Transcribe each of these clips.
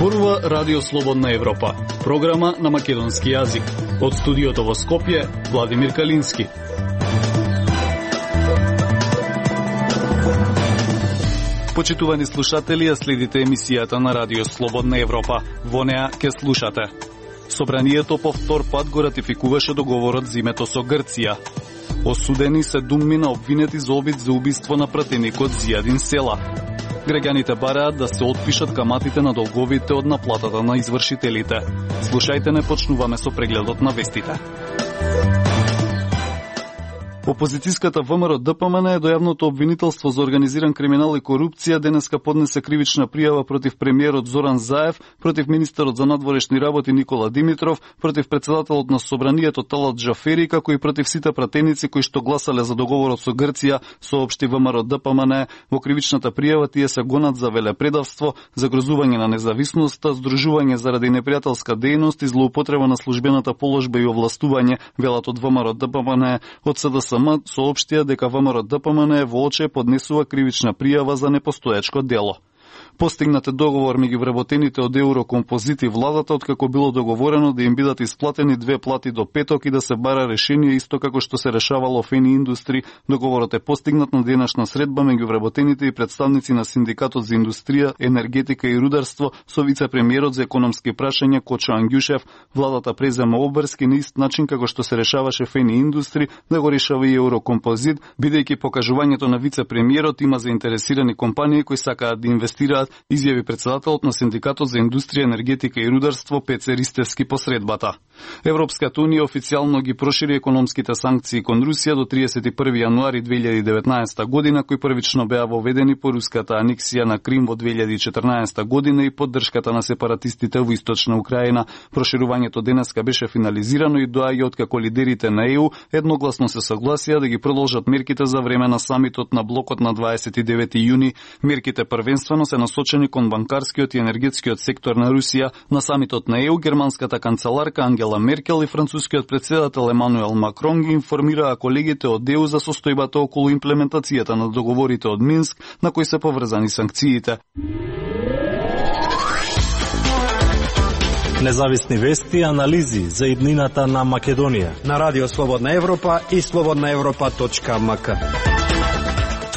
Зборува Радио Слободна Европа, програма на македонски јазик. Од студиото во Скопје, Владимир Калински. Почитувани слушатели, ја следите емисијата на Радио Слободна Европа. Во неа ќе слушате. Собранието по втор пат го ратификуваше договорот зимето со Грција. Осудени се думми на обвинети за обид за убиство на пратеникот Зијадин Села. Граѓаните бараат да се отпишат каматите на долговите од наплатата на извршителите. Слушајте, не почнуваме со прегледот на вестите. Опозицијската ВМРО ДПМН е до јавното обвинителство за организиран криминал и корупција денеска поднесе кривична пријава против премиерот Зоран Заев, против министерот за надворешни работи Никола Димитров, против председателот на Собранието Талат Джафери, како и против сите пратеници кои што гласале за договорот со Грција, соопшти ВМРО ДПМН. Во кривичната пријава тие се гонат за велепредавство, загрозување на независноста, здружување заради непријателска дејност и злоупотреба на службената положба и овластување, велат од ВМРО ДПМН. Од СДСМ соопштија дека ВМРО ДПМН вооче поднесува кривична пријава за непостоечко дело. Постигнат е договор меѓу вработените од Еврокомпозит и владата, откако било договорено да им бидат исплатени 2 плати до петок и да се бара решение исто како што се решавало во Ени Индустри. Договорот е постигнат на денешна средба меѓу вработените и представници на Синдикатот за индустрија, енергетика и рударство со вице-премиерот за економски прашања Кочо Ангјушев. Владата презема обврски на ист начин како што се решаваше во Ени Индустри да го решава и Еврокомпозит, бидејќи покажувањето на вице-премиерот има заинтересирани компании кои сакаат да инвестираат, изјави председателот на Синдикатот за индустрија, енергетика и рударство Пеце Ристевски по средбата. Европската унија официјално ги прошири економските санкции кон Русија до 31 јануари 2019 година, кои првично беа воведени по руската анексија на Крим во 2014 година и поддршката на сепаратистите во Источна Украина. Проширувањето денеска беше финализирано и доаѓа откако лидерите на ЕУ едногласно се согласија да ги продолжат мерките за време на самитот на блокот на 29 јуни. Мерките првенствено се насочени кон банкарскиот и енергетскиот сектор на Русија. На самитот на ЕУ германската канцеларка Ангела Меркел и францускиот претседател Емануел Макрон ги информираа колегите од ЕУ за состојбата околу имплементацијата на договорите од Минск на кои се поврзани санкциите. Независни вести и анализи за иднината на Македонија на Радио Слободна Европа и slobodnaevropa.mk.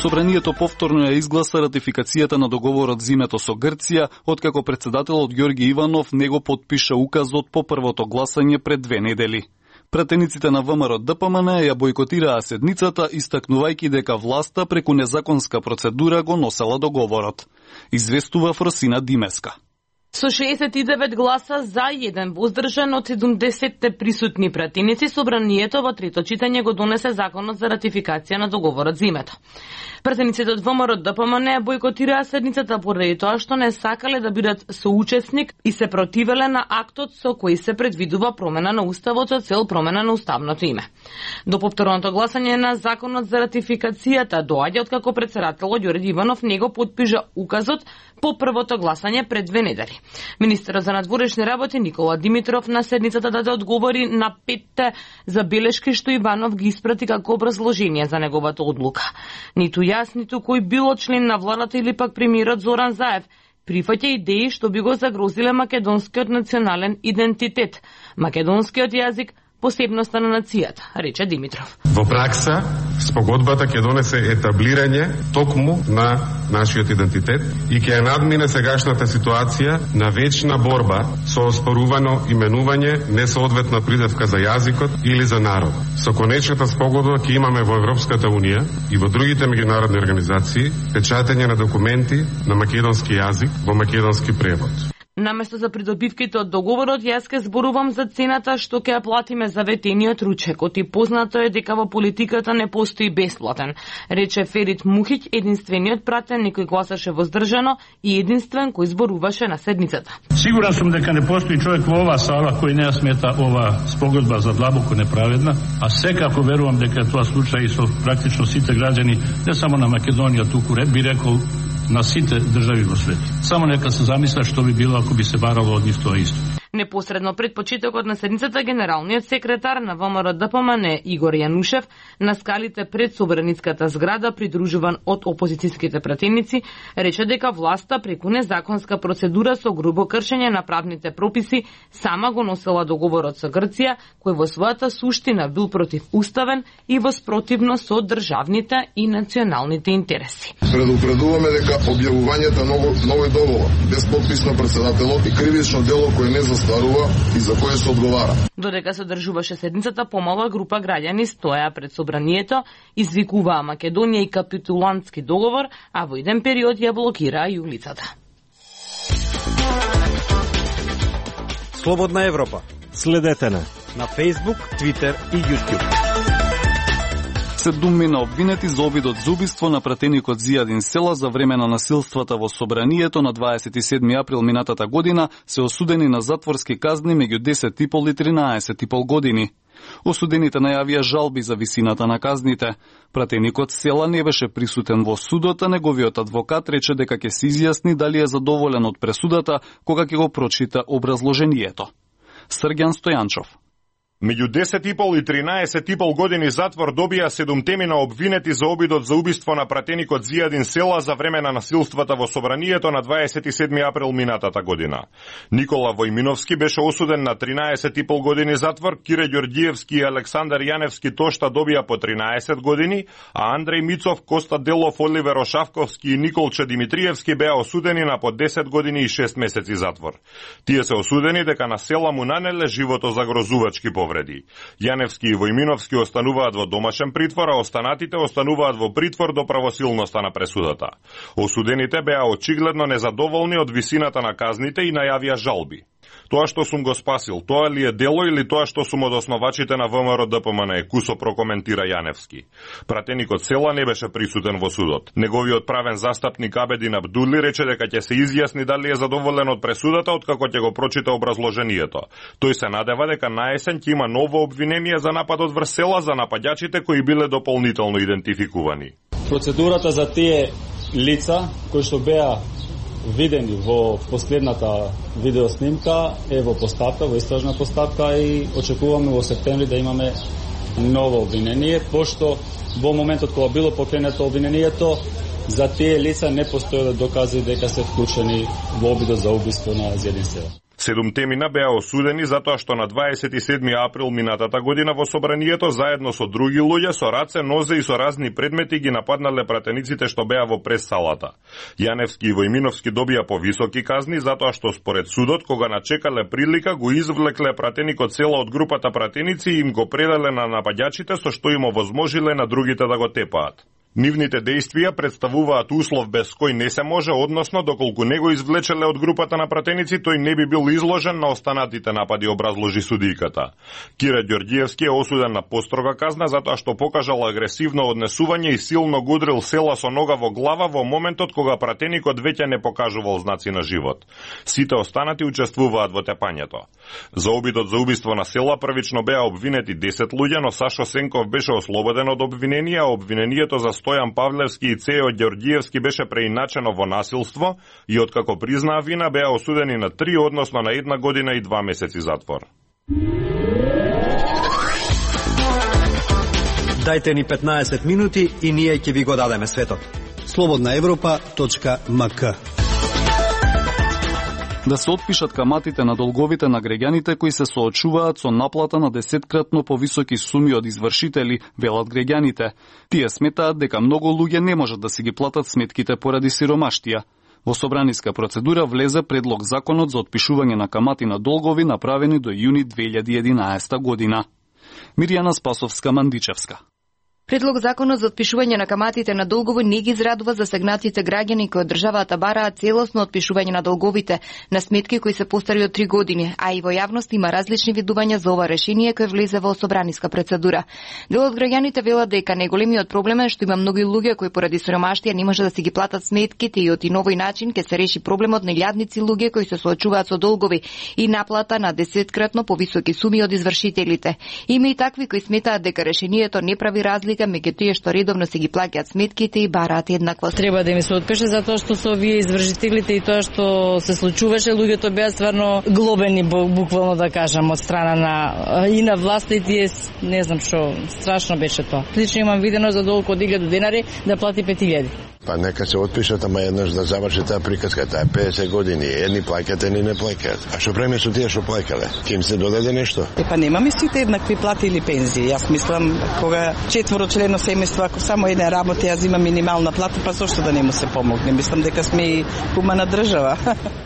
Собранието повторно ја изгласа ратификацијата на договорот зимето со Грција, откако председателот Ѓорги Иванов него подпиша указот по првото гласање пред 2 недели. Пратениците на ВМРО ДПМН ја бойкотираа седницата, истакнувајќи дека власта преку незаконска процедура го носела договорот. Известува Фросина Димеска. Со 69 гласа за, 1 воздржан од 70 присутни пратеници, собранието во трето читање го донесе законот за ратификација на договорот зимето. Пратениците од ВМРО ДПМН бойкотираа седницата поради тоа што не сакале да бидат соучесник и се противеле на актот со кој се предвидува промена на уставот со цел промена на уставното име. До повторното гласање на законот за ратификацијата доаѓа откако председателот Ѓорги Иванов него подпиша указот по првото гласање пред 2 недели. Министерот за надворешни работи Никола Димитров на седницата даде одговори на 5 забелешки што Иванов ги испрати како образложение за неговата одлука. Ниту јас, ниту кој било член на владата или пак премиерот Зоран Заев прифаќа идеи што би го загрозиле македонскиот национален идентитет, македонскиот јазик, посебноста на нацијата, рече Димитров. Во пракса, спогодбата ќе донесе етаблирање токму на нашиот идентитет и ќе надмине сегашната ситуација на вечна борба со оспорувано именување, несоодветна придевка за јазикот или за народ. Со конечната спогодба ќе имаме во Европската унија и во другите меѓународни организации печатење на документи на македонски јазик во македонски превод. Наместо за придобивките од договорот, јас ке зборувам за цената што ќе ја платиме за ветениот ручекот и познато е дека во политиката не постои бесплатен, рече Ферит Мухиќ, единствениот пратеник кој гласаше воздржано и единствен кој зборуваше на седницата. Сигурен сум дека не постои човек во оваа сала кој не ја смета ова спогодба за длабоко неправедна, а секако верувам дека тоа случај и со практично сите граѓани, не само на Македонија, туку би рекол на сите држави во свет. Само нека се замисля што би било ако би се барало од нив тоа исто. Непосредно пред почетокот на седницата, генералниот секретар на ВМРО ДПМН Игор Јанушев на скалите пред Собраницката зграда, придружуван од опозицијските пратеници, рече дека власта преку незаконска процедура со грубо кршење на правните прописи сама го носела договорот со Грција, кој во својата суштина бил противуставен и воспротивно со државните и националните интереси. Предупредуваме дека објавувањето новој договор без подпис на претседателот и кривично дело кое не застарува и за кое се одговара. Додека се одржуваше седницата, помала група граѓани стоја пред собранието, извикуваа Македонија и капитулантски договор, а во еден период ја блокираа и улицата. Слободна Европа. Следете на Facebook, Twitter и YouTube. 7 обвинети за обидот за убиство на пратеникот Зијадин Села за време на насилствата во собранието на 27 април минатата година се осудени на затворски казни меѓу 10,5 и 13,5 години. Осудените најавија жалби за висината на казните. Пратеникот Села не беше присутен во судот, а неговиот адвокат рече дека ќе се изјасни дали е задоволен од пресудата кога ќе го прочита образложението. Срѓан Стојанчов. Меѓу 10,5 и 13,5 години затвор добија 7 обвинети за обидот за убиство на пратеникот Зијадин Села за време на насилствата во собранието на 27 април минатата година. Никола Војминовски беше осуден на 13,5 години затвор, Кире Ѓорѓиевски и Александар Јаневски Тошта добија по 13 години, а Андреј Мицов, Коста Делов, Оливер Ошавковски и Николче Димитриевски беа осудени на по 10 години и 6 месеци затвор. Тие се осудени дека на Села му нанеле животозагрозувачки повреди. Јаневски и Војминовски остануваат во домашен притвор, а останатите остануваат во притвор до правосилноста на пресудата. Осудените беа очигледно незадоволни од висината на казните и најавија жалби. Тоа што сум го спасил, тоа ли е дело или тоа што сум од основачите на ВМРО ДПМН, кусо прокоментира Јаневски. Пратеникот Села не беше присутен во судот. Неговиот правен застапник Абедин Абдули рече дека ќе се изјасни дали е задоволен од пресудата откако ќе го прочита образложението. Тој се надева дека наесен ќе има ново обвинение за нападот врз Села за нападјачите кои биле дополнително идентификувани. Процедурата за тие лица кои што беа видени во последната видеоснимка е во постапка, во истражна постапка и очекуваме во септември да имаме ново обвинение, пошто во моментот кога било покренето обвинението, за тие лица не постоеле докази дека се вклучени во обидот за убиство на Зијадин Села. 7 беа осудени затоа што на 27 април минатата година во собранието заедно со други луѓе со раце, нозе и со разни предмети ги нападнале пратениците што беа во прес-салата. Јаневски и Војминовски добија повисоки казни затоа што според судот кога начекале прилика го извлекле пратеникот Села од групата пратеници и им го предале на нападјачите со што им овозможиле на другите да го тепаат. Нивните действија представуваат услов без кој не се може, односно доколку не го извлечеле од групата на пратеници, тој не би бил изложен на останатите напади, образложи судијката. Кире Ѓорѓиевски е осуден на построга казна затоа што покажал агресивно однесување и силно го удрил Села со нога во глава во моментот кога пратеникот веќе не покажувал знаци на живот. Сите останати учествуваат во тепањето. За обидот за убиство на Села првично беа обвинети 10 луѓе, но Сашо Сенков беше ослободен од обвинение, а обвинението за Стојан Павлевски и Цео Ѓорѓиевски беше преиначено во насилство и откако признаа вина беа осудени на 3, односно на 1 година и 2 месеци затвор. Дајте ни 15 минути и ние ќе ви го дадеме светот. slobodnaevropa.mk Да се отпишат каматите на долговите на граѓаните кои се соочуваат со наплата на 10-кратно повисоки суми од извршители, велат граѓаните. Тие сметаат дека многу луѓе не можат да си ги платат сметките поради сиромаштија. Во собраниска процедура влезе предлог законот за отпишување на камати на долгови направени до јуни 2011 година. Мирјана Спасовска-Мандичевска. Предлог законот за отпишување на каматите на долгови не ги израдува засегнатите граѓани кои од државата бараат целосно отпишување на долговите на сметки кои се постари од 3 години, а и во јавност има различни видувања за ова решение кој влезе во собраниска процедура. Дел од граѓаните велат дека најголемиот проблем е што има многу луѓе кои поради сиромаштија не може да си ги платат сметките и од новој начин ќе се реши проблемот на илјадници луѓе кои се соочуваат со долгови и наплата на 10-кратно повисоки суми од извршителите. Има и такви кои сметаат дека решението не прави разлика разлика меѓу тие што редовно се ги плаќаат сметките и бараат еднаквост. Треба да ми се отпише затоа што со овие извршителите и тоа што се случуваше, луѓето беа стварно глобени, буквално да кажам, од страна на властите, не знам што, страшно беше тоа. Лично имам видено за долг од 1000 денари да плати 5000. Па нека се отпишат, ама еднаш да заврши таа приказка, таа 50 години, едни плаќаат, едни не плаќаат. А што преме со тие што плаќале? Ке им се додаде нешто? Па немаме сите еднакви плати или пензии. Јас мислам кога 4-члено семејство, ако само еден работи, ја зима минимална плата, па зошто да не му се помогне? Мислам дека сме и хумана држава.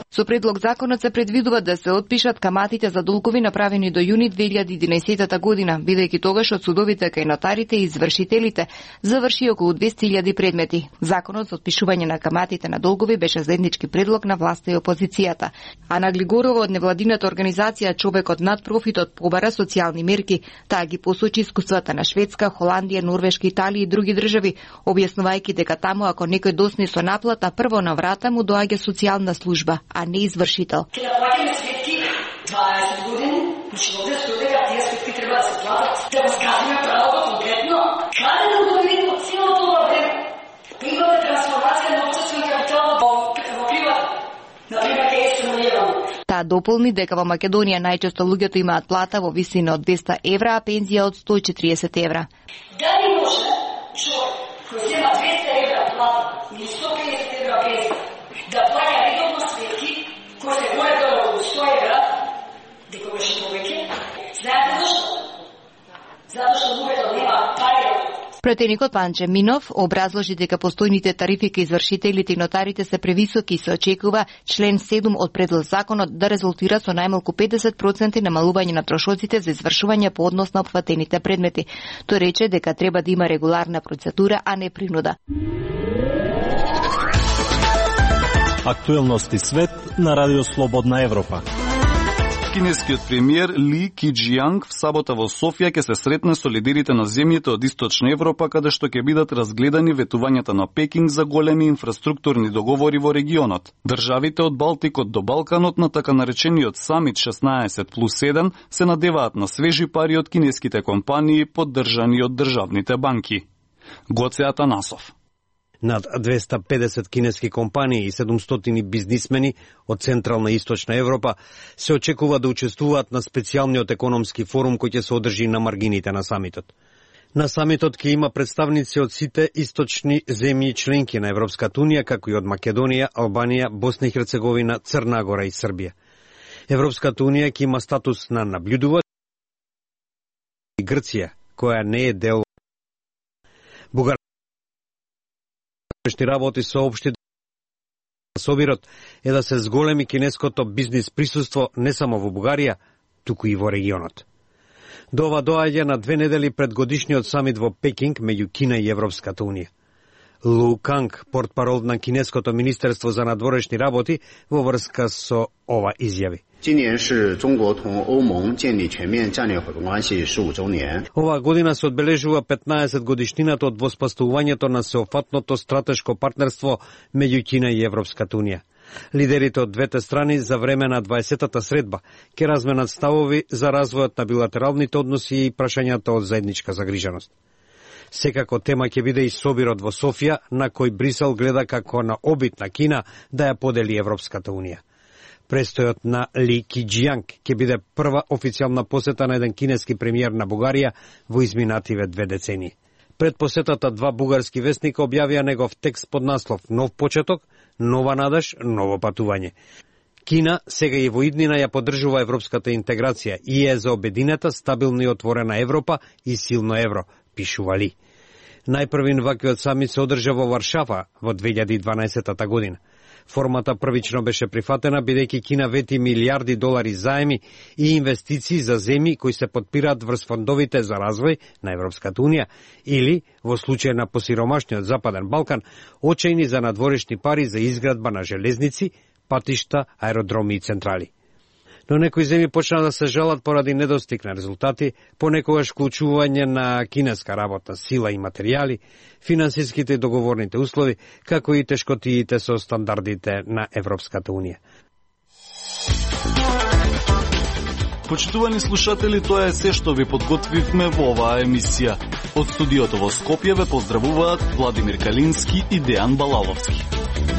Со предлог законот се предвидува да се отпишат каматите за долгови направени до јуни 2011 година, бидејќи тогаш од судовите кај нотарите и извршителите заврши околу 200.000 предмети. Законот за отпишување на каматите на долгови беше заеднички предлог на власта и опозицијата. Ана Глигорова од невладината организација Човекот над профитот побара социјални мерки. Таа ги посочи искуствата на Шведска, Холандија, Норвешка, Италија и други држави, објаснувајќи дека таму ако некој досне со наплата, прво на врата му доаѓа социјална служба, а не извршител. Ке да плаќаме сметки 20 години, значи овде стои дека тие сметки треба да се платат. Да го скажеме правото конкретно, каде да го видиме целото ова време? Имаме трансформација на општествен капитал во приват. Например, ке е стимулирано. Таа дополни дека во Македонија најчесто луѓето имаат плата во висина од 200 евра, а пензија од 140 евра. Дали може човек кој зема 200 евра плата или 150 евра пензија да плаќа редовно сметки кои се горе-долу од 100 евра, дека беше повеќе? Знаете зашто? Затоа што луѓето нема пари. Пратеникот Панче Минов образложи дека постојните тарифи кај извршителите и нотарите се превисоки и се очекува член 7 од предлог законот да резултира со најмалку 50% намалување на трошоците за извршување по однос на опфатените предмети. Тој рече дека треба да има регуларна процедура, а не принуда. Актуелности свет на Радио Слободна Европа. Кинескиот премиер Ли Киџијанг в сабота во Софија ќе се сретне со лидерите на земјите од Источна Европа, каде што ќе бидат разгледани ветувањата на Пекинг за големи инфраструктурни договори во регионот. Државите од Балтикот до Балканот на така наречениот самит 16+1 се надеваат на свежи пари од кинеските компании поддржани од државните банки. Гоце Атанасов. Над 250 кинески компании и 700 бизнисмени од Централна и Источна Европа се очекува да учествуваат на специјалниот економски форум кој ќе се одржи на маргините на самитот. На самитот ќе има представници од сите источни земји членки на Европската унија, како и од Македонија, Албанија, Босна и Херцеговина, Црна Гора и Србија. Европската унија ќе има статус на наблюдувач и Грција, која не е дел работи соопшти собирот е да се зголеми кинеското бизнис присуство не само во Бугарија, туку и во регионот. До ова доаѓа на 2 недели пред годишниот самит во Пекинг меѓу Кина и Европската унија. Лу Канг, портпарол на кинеското министерство за надворешни работи, во врска со ова изјави. Оваа година се одбележува 15 годишнината од воспоставувањето на сеопфатното стратешко партнерство меѓу Кина и Европската унија. Лидерите од двете страни за време на 20-та средба ќе разменат ставови за развојот на билатералните односи и прашањата од заедничка загриженост. Секако тема ќе биде и собирот во Софија, на кој Брисел гледа како на обид на Кина да ја подели Европската унија. Престојот на Ли Киџијанг ќе биде прва официјална посета на еден кинески премиер на Бугарија во изминативе 2 децении. Пред посетата 2 бугарски вестника објавија негов текст под наслов "Нов почеток, нова надеж, ново патување". Кина сега и во иднина ја поддржува европската интеграција и е за обединета, стабилна и отворена Европа и силно евро, пишува Ли. Најпрвин ваквиот самит се одржа во Варшава во 2012 година. Формата првично беше прифатена бидејќи Кина вети милиарди долари заеми и инвестиции за земји кои се подпираат врз фондовите за развој на Европската унија или, во случај на посиромашниот Западен Балкан, очајни за надворешни пари за изградба на железници, патишта, аеродроми и централи. Но некои земји почна да се жалат поради недостиг на резултати, понекогаш вклучување на кинеска работна сила и материјали, финансиските и договорните услови, како и тешкотиите со стандардите на Европската унија. Почитувани слушатели, тоа е се што ви подготвивме во оваа емисија. Од студиото во Скопје ве поздравуваат Владимир Калински и Дејан Балаловски.